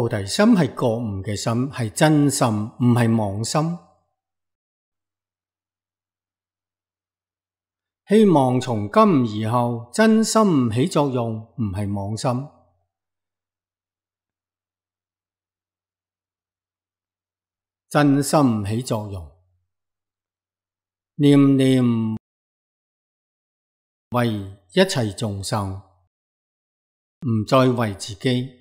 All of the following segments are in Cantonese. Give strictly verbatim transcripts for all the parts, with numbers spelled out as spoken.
菩提心係覺悟嘅心，係真心，唔係妄心。希望從今以後真心起作用，唔係妄心。真心起作用，念念為一切眾生，唔再為自己。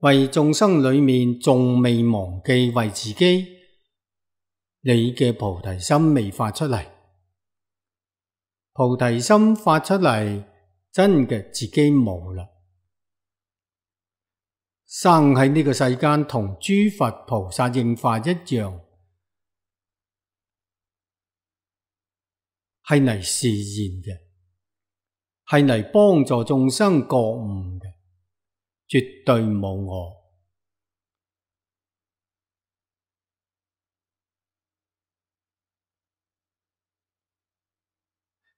為眾生裏面仲未忘記為自己，你嘅菩提心未發出嚟。菩提心發出嚟，真嘅自己冇啦。生喺呢個世間同諸佛菩薩應化一樣，係嚟示現嘅，係嚟幫助眾生覺悟嘅，絕對冇我。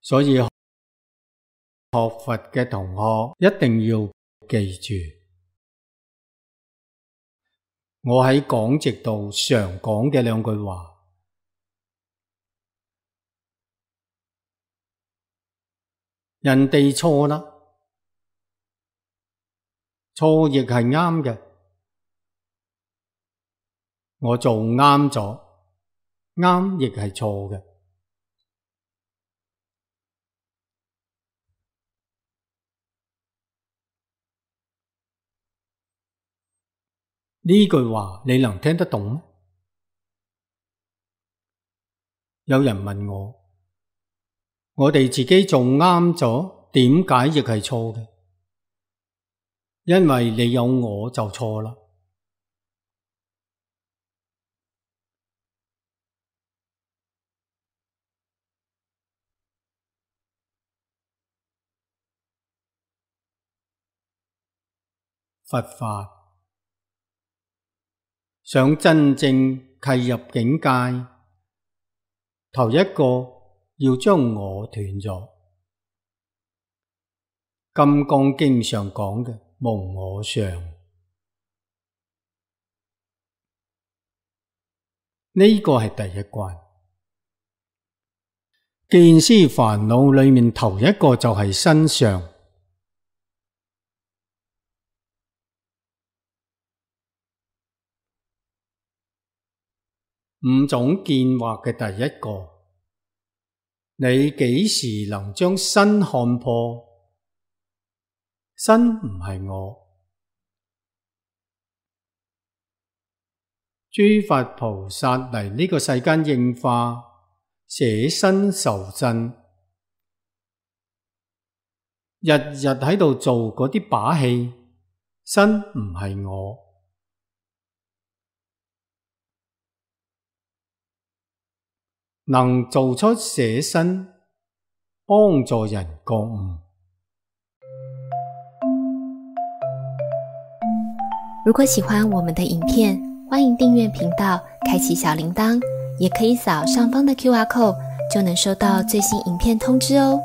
所以學佛嘅同學一定要記住，我喺講席度常講嘅兩句話：人哋錯啦，錯亦係啱嘅，我做啱咗，啱亦係錯嘅。呢句話你能聽得懂嗎？有人問我，我哋自己做啱咗，點解亦係錯嘅？因為你有我就錯啦。佛法想真正契入境界，頭一個要將我斷咗。金剛經上講嘅無我相，呢個係第一關。見思煩惱裏面頭一個就係身相。五種見惑嘅第一個，你幾時能將身看破？身唔係我。諸佛菩薩嚟呢個世間應化，捨身受身，日日喺度做嗰啲把戲，身唔係我。能做出捨身，幫助人覺悟。如果喜歡我們的影片，歡迎訂閱頻道，開啟小鈴鐺，也可以掃上方的 Q R code，就能收到最新影片通知哦。